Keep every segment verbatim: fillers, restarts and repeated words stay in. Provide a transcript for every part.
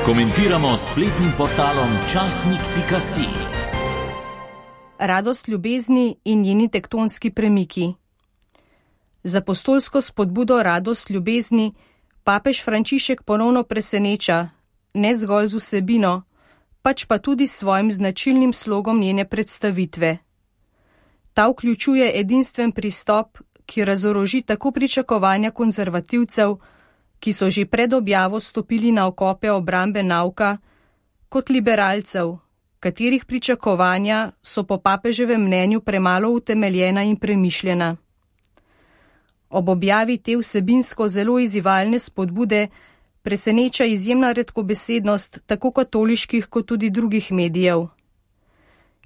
Komentiramo s spletnim portalom časnik pika si. Radost ljubezni in njeni tektonski premiki. Z apostolsko spodbudo Radost ljubezni papež Frančišek ponovno preseneča, ne zgolj z vsebino, pač pa tudi s svojim značilnim slogom njene predstavitve. Ta vključuje edinstven pristop, ki razoroži tako pričakovanja konzervativcev, ki so že pred objavo stopili na okope obrambe nauka, kot liberalcev, katerih pričakovanja so po papeževem mnenju premalo utemeljena in premišljena. Ob objavi te vsebinsko zelo izzivalne spodbude preseneča izjemna redkobesednost tako katoliških kot tudi drugih medijev.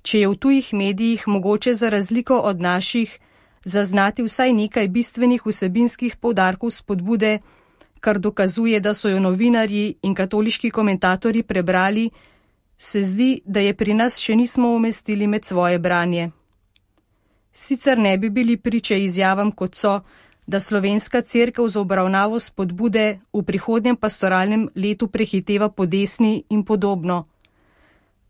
Če je v tujih medijih mogoče za razliko od naših zaznati vsaj nekaj bistvenih vsebinskih poudarkov spodbude, kar dokazuje, da so jo novinarji in katoliški komentatorji prebrali, se zdi, da je pri nas še nismo umestili med svoje branje. Sicer ne bi bili priče izjavam, kot so, da slovenska cerkev z obravnavo spodbude v prihodnjem pastoralnem letu prehiteva po desni in podobno.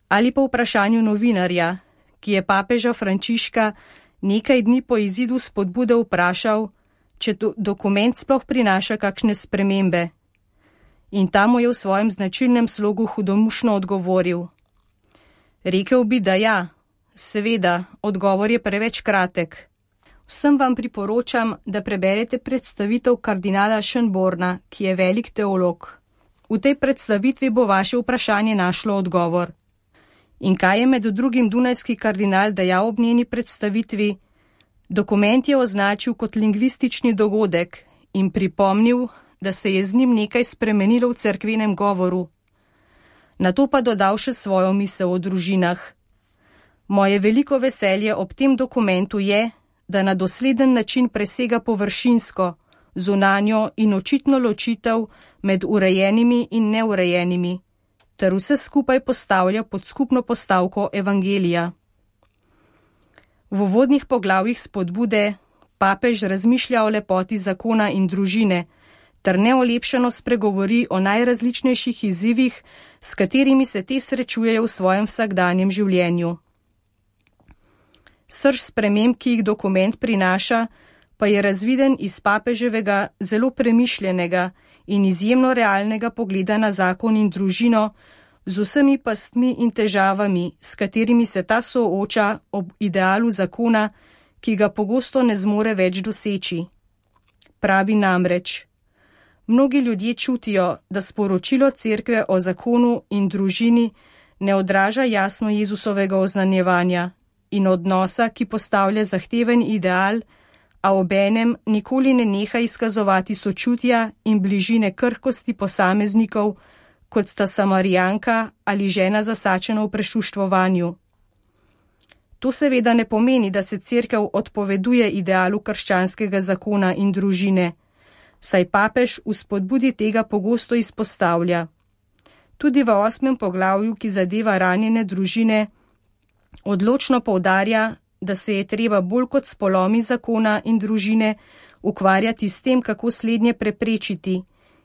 Ali pa vprašanju novinarja, ki je papeža Frančiška nekaj dni po izidu spodbude vprašal, če do, dokument sploh prinaša kakšne spremembe. In tam mu je v svojem značilnem slogu hudomušno odgovoril. Rekel bi, da ja, seveda, odgovor je preveč kratek. Vsem vam priporočam, da preberete predstavitev kardinala Schönborna, ki je velik teolog. V tej predstavitvi bo vaše vprašanje našlo odgovor. In kaj je med drugim dunajski kardinal dejal ob njeni predstavitvi? Dokument je označil kot lingvistični dogodek in pripomnil, da se je z njim nekaj spremenilo v cerkvenem govoru. Nato pa dodal še svojo misel o družinah. Moje veliko veselje ob tem dokumentu je, da na dosleden način presega površinsko, zunanjo in očitno ločitev med urejenimi in neurejenimi, ter vse skupaj postavlja pod skupno postavko evangelija. V uvodnih poglavjih spodbude papež razmišlja o lepoti zakona in družine, ter neolepšano spregovori o najrazličnejših izzivih, s katerimi se te srečujejo v svojem vsakdanjem življenju. Srž sprememb, ki jih dokument prinaša, pa je razviden iz papeževega zelo premišljenega in izjemno realnega pogleda na zakon in družino, z vsemi pastmi in težavami, s katerimi se ta sooča ob idealu zakona, ki ga pogosto ne zmore več doseči. Pravi namreč: mnogi ljudje čutijo, da sporočilo cerkve o zakonu in družini ne odraža jasno Jezusovega oznanjevanja in odnosa, ki postavlja zahteven ideal, a obenem nikoli ne neha izkazovati sočutja in bližine krhkosti posameznikov, kot sta Samarijanka ali žena zasačena v prešuštvovanju. To seveda ne pomeni, da se cerkev odpoveduje idealu krščanskega zakona in družine, saj papež v spodbudi tega pogosto izpostavlja. Tudi v osmem poglavju, ki zadeva ranjene družine, odločno poudarja, da se je treba bolj kot s polomi zakona in družine ukvarjati s tem, kako slednje preprečiti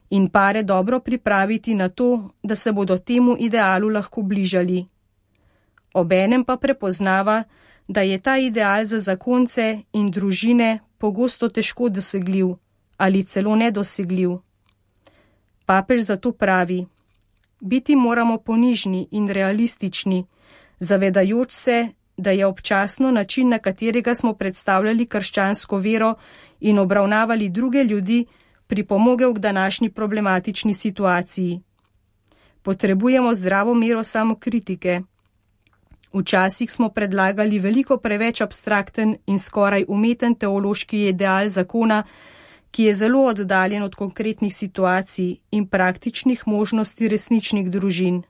in pare dobro pripraviti na to, da se bodo temu idealu lahko bližali. Obenem pa prepoznava, da je ta ideal za zakonce in družine pogosto težko dosegljiv ali celo nedosegljiv. Papež zato pravi: biti moramo ponižni in realistični, zavedajoč se, da je občasno način, na katerega smo predstavljali krščansko vero in obravnavali druge ljudi, pripomogel k današnji problematični situaciji. Potrebujemo zdravo mero samokritike. Včasih smo predlagali veliko preveč abstrakten in skoraj umeten teološki ideal zakona, ki je zelo oddaljen od konkretnih situacij in praktičnih možnosti resničnih družin.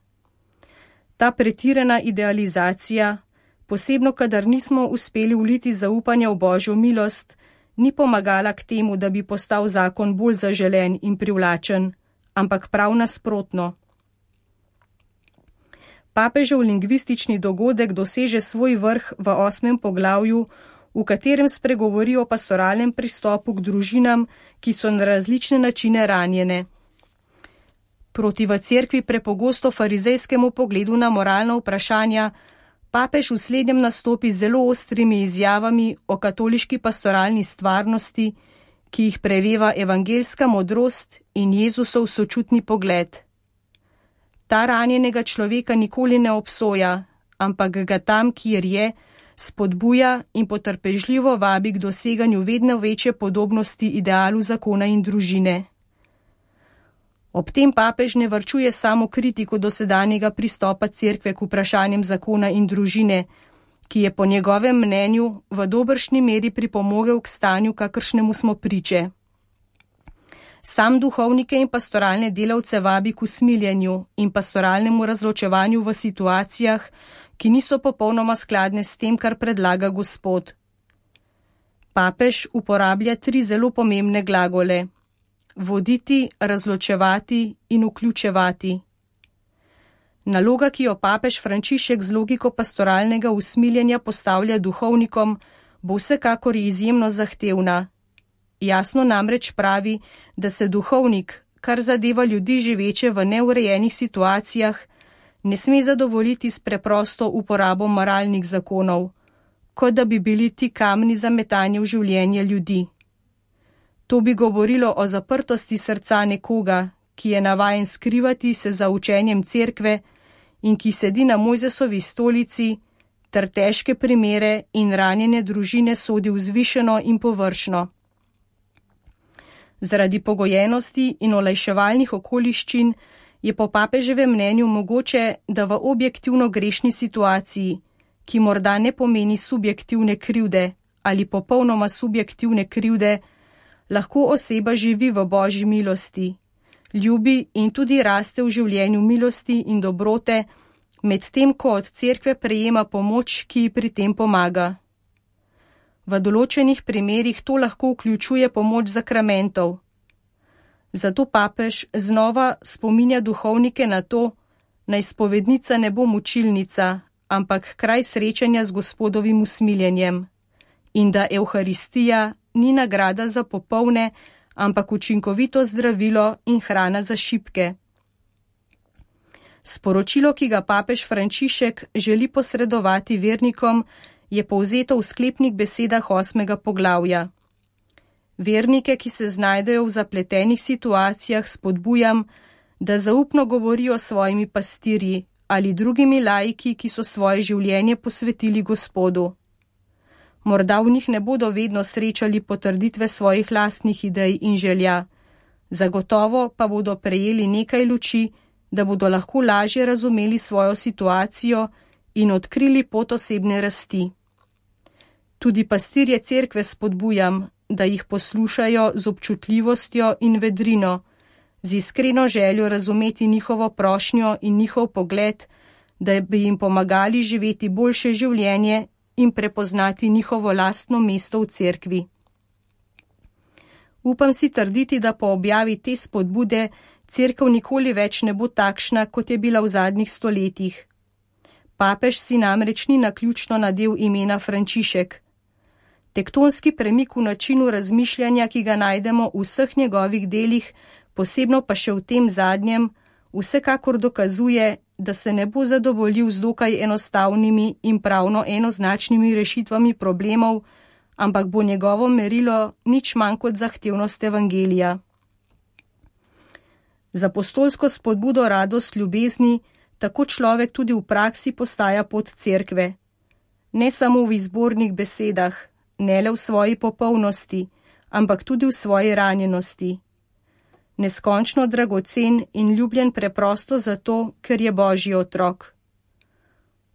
Ta pretirana idealizacija, posebno kadar nismo uspeli vliti zaupanja v Božjo milost, ni pomagala k temu, da bi postal zakon bolj zaželen in privlačen, ampak prav nasprotno. Papežev lingvistični dogodek doseže svoj vrh v osmem poglavju, v katerem spregovori o pastoralnem pristopu k družinam, ki so na različne načine ranjene. Proti v cerkvi prepogosto farizejskemu pogledu na moralna vprašanja, papež v slednjem nastopi z zelo ostrimi izjavami o katoliški pastoralni stvarnosti, ki jih preveva evangeljska modrost in Jezusov sočutni pogled. Ta ranjenega človeka nikoli ne obsoja, ampak ga tam, kjer je, spodbuja in potrpežljivo vabi k doseganju vedno večje podobnosti idealu zakona in družine. Ob tem papež ne varčuje samo kritiko dosedanjega pristopa cerkve k vprašanjem zakona in družine, ki je po njegovem mnenju v dobršni meri pripomogel k stanju, kakršnemu smo priče. Sam duhovnike in pastoralne delavce vabi k usmiljenju in pastoralnemu razločevanju v situacijah, ki niso popolnoma skladne s tem, kar predlaga Gospod. Papež uporablja tri zelo pomembne glagole: voditi, razločevati in vključevati. Naloga, ki jo papež Frančišek z logiko pastoralnega usmiljenja postavlja duhovnikom, bo vsekakor izjemno zahtevna. Jasno namreč pravi, da se duhovnik, kar zadeva ljudi živeče v neurejenih situacijah, ne sme zadovoljiti s preprosto uporabo moralnih zakonov, kot da bi bili ti kamni za metanje v življenje ljudi. To bi govorilo o zaprtosti srca nekoga, ki je navajen skrivati se za učenjem cerkve in ki sedi na Mojzesovi stolici, ter težke primere in ranjene družine sodi vzvišeno in površno. Zaradi pogojenosti in olajševalnih okoliščin je po papeževem mnenju mogoče, da v objektivno grešni situaciji, ki morda ne pomeni subjektivne krivde ali popolnoma subjektivne krivde, lahko oseba živi v Božji milosti, ljubi in tudi raste v življenju milosti in dobrote, medtem ko od cerkve prejema pomoč, ki ji pri tem pomaga. V določenih primerih to lahko vključuje pomoč zakramentov. Zato papež znova spominja duhovnike na to, naj spovednica ne bo mučilnica, ampak kraj srečanja z Gospodovim usmiljenjem, in da Evharistija ni nagrada za popolne, ampak učinkovito zdravilo in hrana za šibke. Sporočilo, ki ga papež Frančišek želi posredovati vernikom, je povzeto v sklepnih besedah osmega poglavja. Vernike, ki se znajdejo v zapletenih situacijah, spodbujam, da zaupno govorijo s svojimi pastirji ali drugimi laiki, ki so svoje življenje posvetili Gospodu. Morda v njih ne bodo vedno srečali potrditve svojih lastnih idej in želja, zagotovo pa bodo prejeli nekaj luči, da bodo lahko lažje razumeli svojo situacijo in odkrili pot osebne rasti. Tudi pastirje cerkve spodbujam, da jih poslušajo z občutljivostjo in vedrino, z iskreno željo razumeti njihovo prošnjo in njihov pogled, da bi jim pomagali živeti boljše življenje in prepoznati njihovo lastno mesto v cerkvi. Upam si trditi, da po objavi te spodbude cerkev nikoli več ne bo takšna, kot je bila v zadnjih stoletjih. Papež si namreč ni naključno nadel imena Frančišek. Tektonski premik v načinu razmišljanja, ki ga najdemo v vseh njegovih delih, posebno pa še v tem zadnjem, vsekakor dokazuje, da se ne bo zadovoljil z dokaj enostavnimi in pravno enoznačnimi rešitvami problemov, ampak bo njegovo merilo nič manj kot zahtevnost evangelija. Z apostolsko spodbudo radost ljubezni tako človek tudi v praksi postaja pot cerkve. Ne samo v izbornih besedah, ne le v svoji popolnosti, ampak tudi v svoji ranjenosti. Neskončno dragocen in ljubljen preprosto zato, ker je Božji otrok.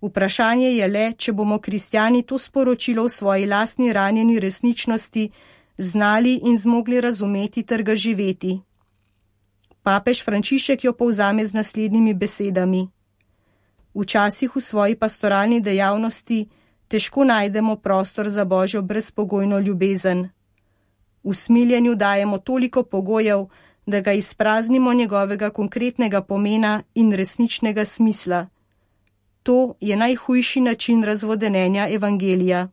Vprašanje je le, če bomo kristjani to sporočilo v svoji lastni ranjeni resničnosti znali in zmogli razumeti ter ga živeti. Papež Frančišek jo povzame z naslednjimi besedami. Včasih v svoji pastoralni dejavnosti težko najdemo prostor za Božjo brezpogojno ljubezen. V smiljenju dajemo toliko pogojev, da ga izpraznimo njegovega konkretnega pomena in resničnega smisla. To je najhujši način razvodenenja evangelija.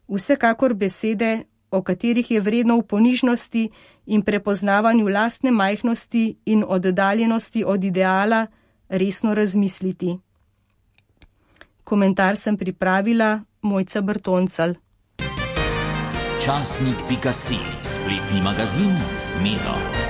Vsekakor besede o katerih je vredno v ponižnosti in prepoznavanju lastne majhnosti in oddaljenosti od ideala resno razmisliti. Komentar sem pripravila Mojca Bertoncelj. Časnik pika si, spletni magazin Zmedo.